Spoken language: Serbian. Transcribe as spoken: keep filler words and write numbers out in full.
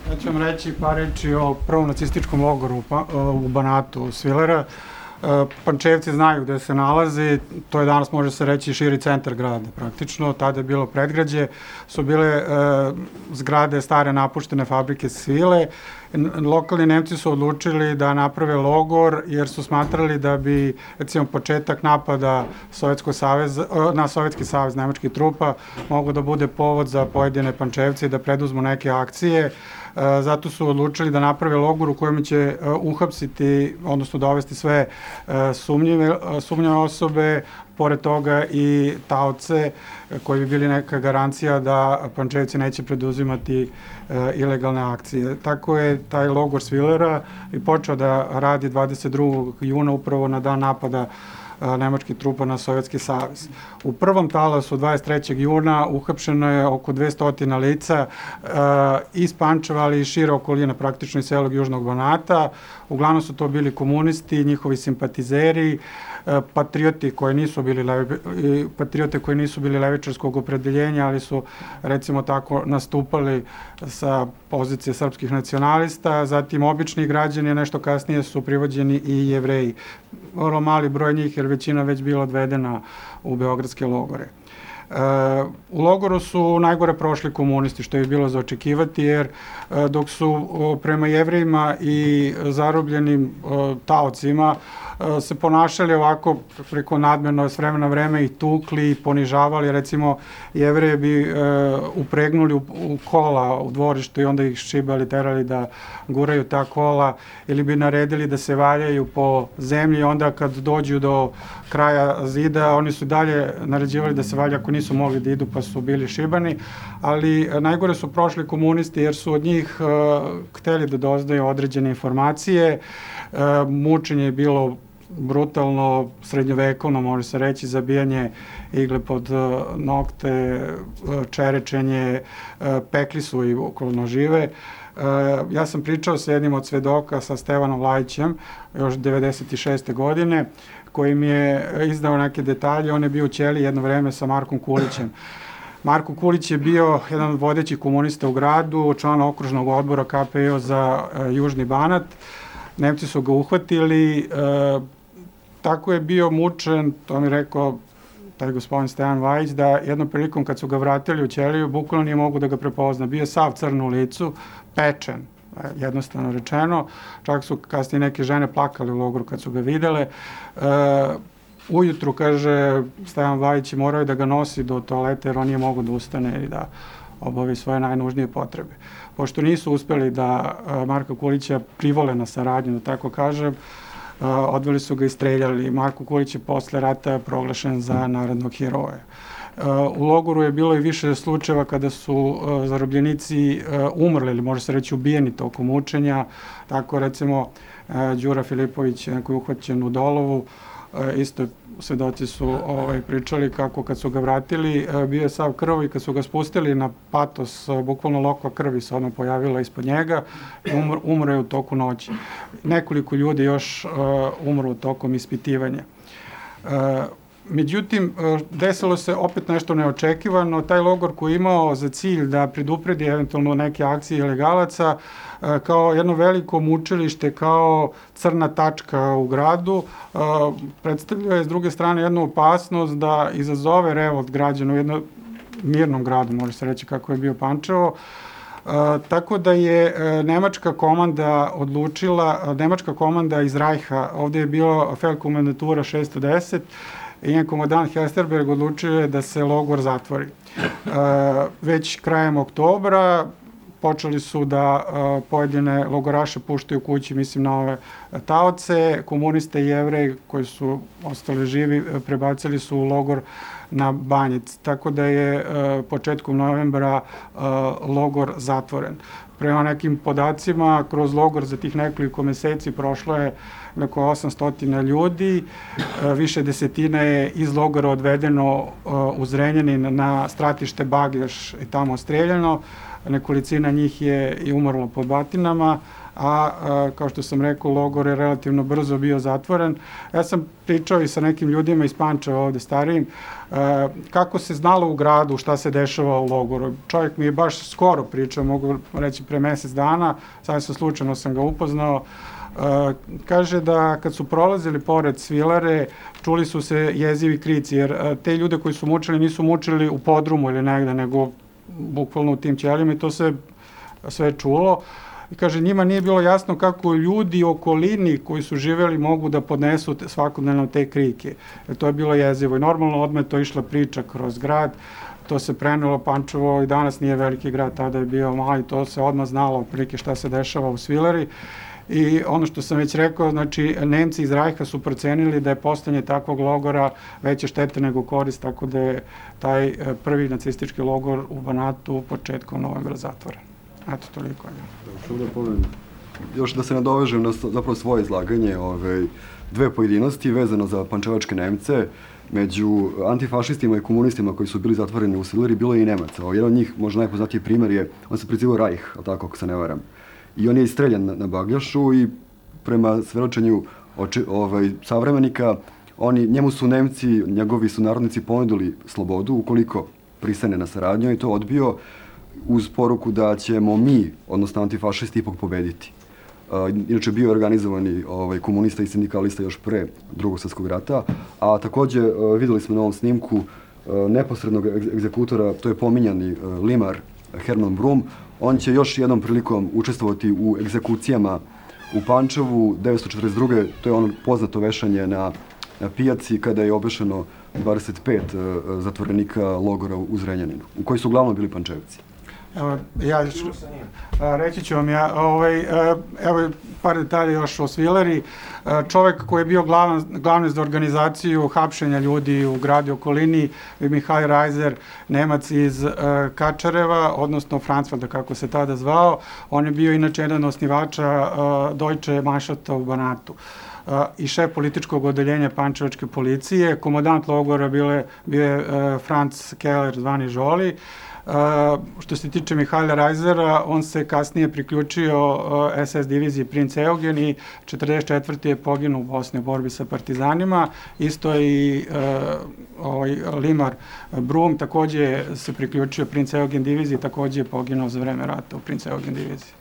Ja ću vam reći par reči o prvom nacističkom logoru u Banatu, Svilera. Pančevci znaju gde se nalazi, to je danas, može se reći, širi centar grada praktično. Tada je bilo predgrađe, su bile zgrade stare napuštene fabrike svile. Lokalni Nemci su odlučili da naprave logor jer su smatrali da bi, recimo, početak napada na Sovjetski savez nemačkih trupa mogo da bude povod za pojedine Pančevce da preduzmu neke akcije. Zato su odlučili da naprave logor u kojem će uhapsiti, odnosno dovesti sve sumnjive osobe, pored toga i taoce koji bi bili neka garancija da Pančevci neće preduzimati ilegalne akcije. Tako je taj logor Svilera i počeo da radi dvadeset drugog juna upravo na dan napada nemačkih trupa na Sovjetski savez. U prvom talasu dvadeset trećeg juna uhapšeno je oko dvesta lica iz Pančeva, ali i šire okoline, praktično iz celog Južnog Banata. Uglavnom su to bili komunisti, njihovi simpatizeri, patrioti koji nisu bili patriote koji nisu bili levičarskog opredeljenja, ali su, recimo tako, nastupali sa pozicije srpskih nacionalista. Zatim obični građani, nešto kasnije su privođeni i Jevreji. Vrlo mali broj njih, jer većina već bila odvedena u beogradske logore. U logoru su najgore prošli komunisti, što je bilo za očekivati, jer dok su prema Jevrejima i zarobljenim taocima se ponašali ovako preko nadmeno s vremena na vreme i tukli i ponižavali. Recimo, Jevreje bi upregnuli u kola u dvorištu i onda ih šibali, terali da guraju ta kola, ili bi naredili da se valjaju po zemlji. Onda kad dođu do kraja zida, oni su dalje naređivali da se valja ako nisu mogli da idu, pa su bili šibani. Ali najgore su prošli komunisti jer su od njih hteli da doznaju određene informacije. Mučenje je bilo brutalno, srednjovekovno, može se reći, zabijanje igle pod nokte, čerečenje, pekli su i okolno žive. Ja sam pričao sa jednim od svedoka, sa Stevanom Lajićem, još devedeset šeste godine, koji mi je izdao neke detalje. On je bio u ćeliji jedno vreme sa Markom Kulićem. Marko Kulić je bio jedan od vodećih komunista u gradu, član okružnog odbora K P O za Južni Banat. Nemci su ga uhvatili, tako je bio mučen, to mi je rekao taj gospodin Stevan Vajić, da jednom prilikom kad su ga vratili u ćeliju, bukvalno nije mogu da ga prepozna. Bio je sav crn u licu, pečen, jednostavno rečeno. Čak su kasnije neke žene plakale u logoru kad su ga videle. Ujutru, kaže Stevan Vajić, morao je da ga nosi do toalete jer on nije mogu da ustane i da obavi svoje najnužnije potrebe. Pošto nisu uspeli da Marka Kulića privole na saradnju, da tako kažem, odveli su ga i streljali. Marko Kulić je posle rata proglašen za narodnog heroja. U logoru je bilo i više slučajeva kada su zarobljenici umrli ili može se reći ubijeni tokom mučenja. Tako recimo Đura Filipović, koji je uhvaćen u Dolovu, isto svedoci su pričali kako kad su ga vratili bio je sav krv i kad su ga spustili na patos, bukvalno lokva krvi se odmah pojavila ispod njega i umro je u toku noći. Nekoliko ljudi još umro tokom ispitivanja. Međutim, desilo se opet nešto neočekivano. Taj logor koji je imao za cilj da predupredi eventualno neke akcije ilegalaca, kao jedno veliko mučilište, kao crna tačka u gradu, predstavljao je s druge strane jednu opasnost da izazove revolt građana u jednom mirnom gradu, može se reći kako je bio Pančevo. Tako da je nemačka komanda odlučila, nemačka komanda iz Rajha, ovde je bilo Feldkomandatura šesto deset, i njen komandant Hesterberg odlučio je da se logor zatvori. Već krajem oktobra počeli su da pojedine logoraše puštaju kući, mislim na ove taoce. Komuniste i Jevreji koji su ostali živi prebacili su u logor na Banjic. Tako da je početkom novembra logor zatvoren. Prema nekim podacima, kroz logor za tih nekoliko meseci prošlo je oko osamsto ljudi, više desetina je iz logora odvedeno u Zrenjanin na stratište Baglješ i tamo streljano, nekolicina njih je i umrlo pod batinama, a kao što sam rekao, logor je relativno brzo bio zatvoren. Ja sam pričao i sa nekim ljudima iz Pančeva ovde starijim, kako se znalo u gradu šta se dešava u logoru. Čovjek mi je baš skoro pričao, mogu reći pre mesec dana, sad sam slučajno sam ga upoznao. Kaže da kad su prolazili pored Svilare, čuli su se jezivi krici, jer te ljude koji su mučili nisu mučili u podrumu ili negde, nego bukvalno u tim ćelijama i to se sve čulo. I kaže, njima nije bilo jasno kako ljudi u okolini koji su živeli mogu da podnesu svakodnevno te krike. Jer to je bilo jezivo i normalno odmah to išla priča kroz grad. To se prenelo, Pančevo i danas nije veliki grad, tada je bio mali, to se odmah znalo otprilike šta se dešava u Svilari. I ono što sam već rekao, znači, Nemci iz Rajha su procenili da je postojanje takvog logora veće štete nego korist, tako da je taj prvi nacistički logor u Banatu početkom novembra zatvoren. Eto, toliko je. Još da se nadovežem na zapravo svoje izlaganje, dve pojedinosti vezano za pančevačke Nemce. Među antifašistima i komunistima koji su bili zatvoreni u Svilari bilo je i Nemaca. Jedan od njih, možda najpoznatiji primjer je, on se prezivao Rajh, ali tako ako se ne varam. I on je istreljan na Bagljašu i prema svedočenju savremenika, njemu su Nemci, njegovi sunarodnici ponudili slobodu ukoliko pristane na saradnju i to odbio uz poruku da ćemo mi, odnosno antifašisti, ipak pobediti. Inače, bio je organizovani komunista i sindikalista još pre Drugog svjetskog rata, a takođe videli smo na ovom snimku neposrednog egzekutora, to je pominjani limar Herman Brum. On će još jednom prilikom učestvovati u egzekucijama u Pančevu devetsto četrdeset druge. To je ono poznato vešanje na pijaci kada je obešeno dvadeset pet zatvorenika logora u Zrenjaninu, u koji su uglavnom bili Pančevci. Evo, ja reći ću vam ja, evo par detalja još o Svilari. Čovek koji je bio glavni za organizaciju hapšenja ljudi u gradu i okolini, Mihail Reiser, Nemac iz Kačareva, odnosno Francvalda, kako se tada zvao. On je bio inače jedan osnivača Deutsche Mannschaft u Banatu i šef političkog odeljenja pančevačke policije. Komandant logora bio je Franz Keller, zvani Žoli. Što se tiče Mihaila Reisera, on se kasnije priključio es es diviziji Princ Eugen i četrdeset četvrte je poginuo u Bosni u borbi sa partizanima. Isto i limar Brum takođe se priključio Princ Eugen diviziji, takođe je poginuo za vreme rata u Princ Eugen diviziji.